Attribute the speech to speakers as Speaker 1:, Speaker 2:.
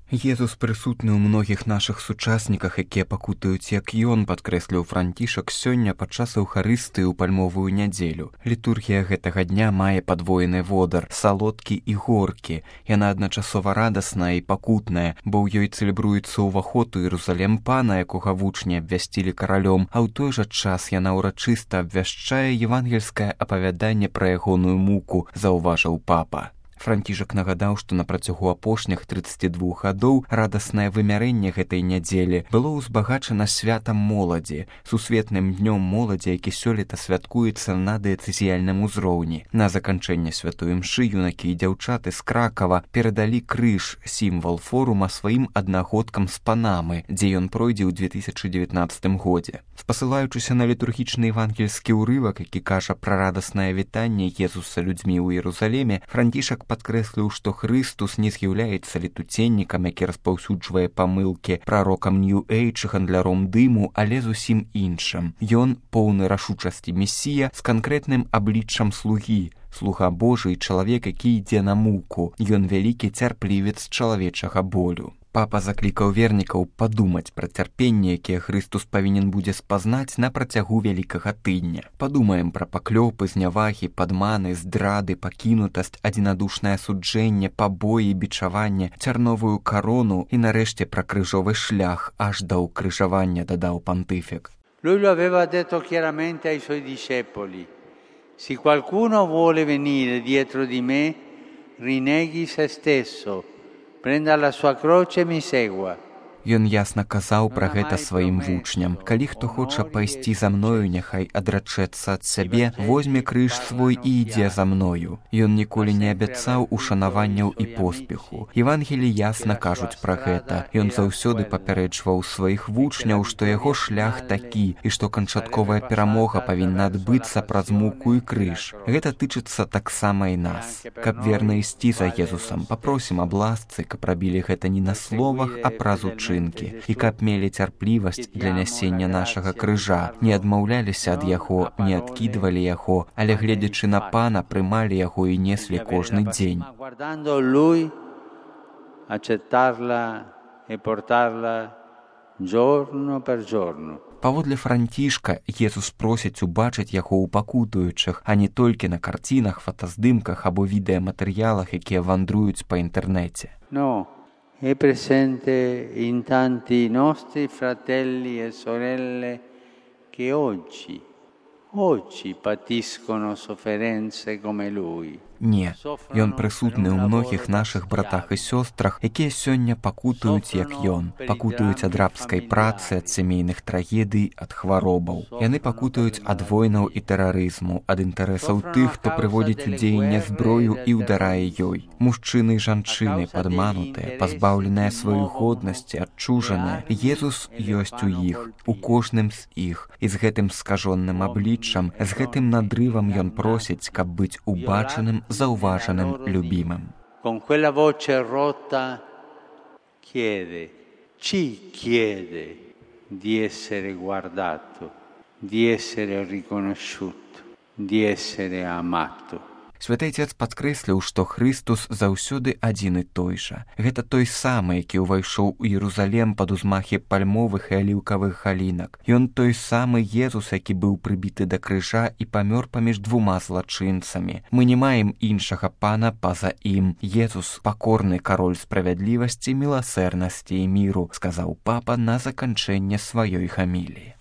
Speaker 1: Езус прысутны ў многіх нашых сучасніках, якія пакутаюць як ён, падкрэсліў Францішак сёння падчас эўхарыстыі ў пальмовую нядзелю. Літургія гэтага дня мае падвоены водар, салодкі і горкі. Яна адначасова радасная і пакутная, бо ў ёй цэлебруецца ўваход у Іерусалем Пана, якога вучні абвясцілі каралём, а ў той жа час яна ўрачыста абвяшчае евангельскае апавяданне пра ягоную муку, заўважыў папа. Францішак нагадаў, што на працягу апошніх 32 гадоў радаснае вымярэнне гэтай нядзелі было ўзбагачана святам моладзі, сусветным днём моладзі, які сёлета святкуецца на дыяцэзіяльным узроўні. На заканчэнне святой імшы юнакі і дзяўчаты з Кракава перадалі крыж, сімвал форума, сваім аднагодкам з Панамы, дзе ён пройдзе ў 2019 годзе. Спасылаючыся на літургічны евангельскі ўрывак, які кажа пра радаснае вітанне Езуса людзьмі ў Іерусалеме, Францішак падкрэсліў, што Хрыстус не з'яўляецца летуценнікам, які распаўсюджвае памылкі, прарокам Нью-Эйдж, гандляром дыму, але зусім іншым. Ён поўны рашучасці месія з канкрэтным абліччам слугі, слуга Божы і чалавек, які ідзе на муку. Ён вялікі цярплівец чалавечага болю. Папа заклікаў вернікаў падумаць пра цярпенне, якія Хрыстус павінен будзе спазнаць на працягу вялікага тыдня. Падумаем пра паклёпы, знявагі, падманы, здрады, пакінутасць, адзінадушнае суджэнне, пабоі, бичаванне, цярновую карону і нарэшце пра крыжовы шлях аж да ўкрыжавання, дадаў пантыфік.
Speaker 2: Lui lo aveva detto chiaramente ai suoi discepoli: se qualcuno vuole venire dietro di me, rinneghi se stesso, prenda la sua croce e mi segua.
Speaker 1: Ён ясна казаў пра гэта сваім вучням. Калі хто хоча пайсці за мною, няхай адрачэцца ад сябе, возьме крыж свой і ідзе за мною. Ён ніколі не абяцаў ушанаванняў і поспеху. Евангелі ясна кажуць пра гэта. Ён заўсёды папярэджваў сваіх вучняў, што яго шлях такі, і што канчатковая перамога павінна адбыцца праз муку і крыж. Гэта тычыцца таксама і нас. Каб верна ісці за Езусам, папросім аб ласцы, каб рабілі гэта не на словах, а праз учынкі. І каб мелі цярплівасць для нясення нашага крыжа, не адмаўляліся ад яго, не адкідвалі яго, але, гледзячы на Пана, прымалі яго і неслі кожны дзень. Паводле Францішка, Езус просіць убачыць яго ў пакутуючых, а не толькі на карцінах, фотаздымках або відэаматэрыялах, якія вандруюць па інтэрнэце.
Speaker 2: È presente in tanti nostri fratelli e sorelle che oggi patiscono sofferenze come lui.
Speaker 1: Не, ён прысутны ў многіх нашых братах і сёстрах, якія сёння пакутаюць, як ён. Пакутаюць ад рабскай працы, ад сямейных трагедый, ад хваробаў. Яны пакутаюць ад войнаў і тэрарызму, ад інтарэсаў тых, хто прыводзіць у дзеянне зброю і ўдарае ёй. Мужчыны і жанчыны, падманутыя, пазбаўленыя сваёй годнасці, адчужаныя. Езус ёсць у іх, у кожным з іх. І з гэтым скажоным абліччам, з гэтым надрывам ён просіць, каб быць убачаным, заўважаным, любімым.
Speaker 2: Con quella voce rotta ci chiede di essere guardato, di essere riconosciuto, di essere amato.
Speaker 1: Святы Отец падкрэсліў, што Хрыстус заўсёды адзін і той жа. Гэта той самы, які ўвайшоў у Іерусалем пад узмахі пальмовых і аліўкавых галінак. Ён той самы Езус, які быў прыбіты да крыжа і памёр паміж двума злачынцамі. Мы не маем іншага Пана па-за ім. Езус — пакорны кароль справядлівасці, міласэрнасці і міру, сказаў папа на заканчэнне сваёй гаміліі.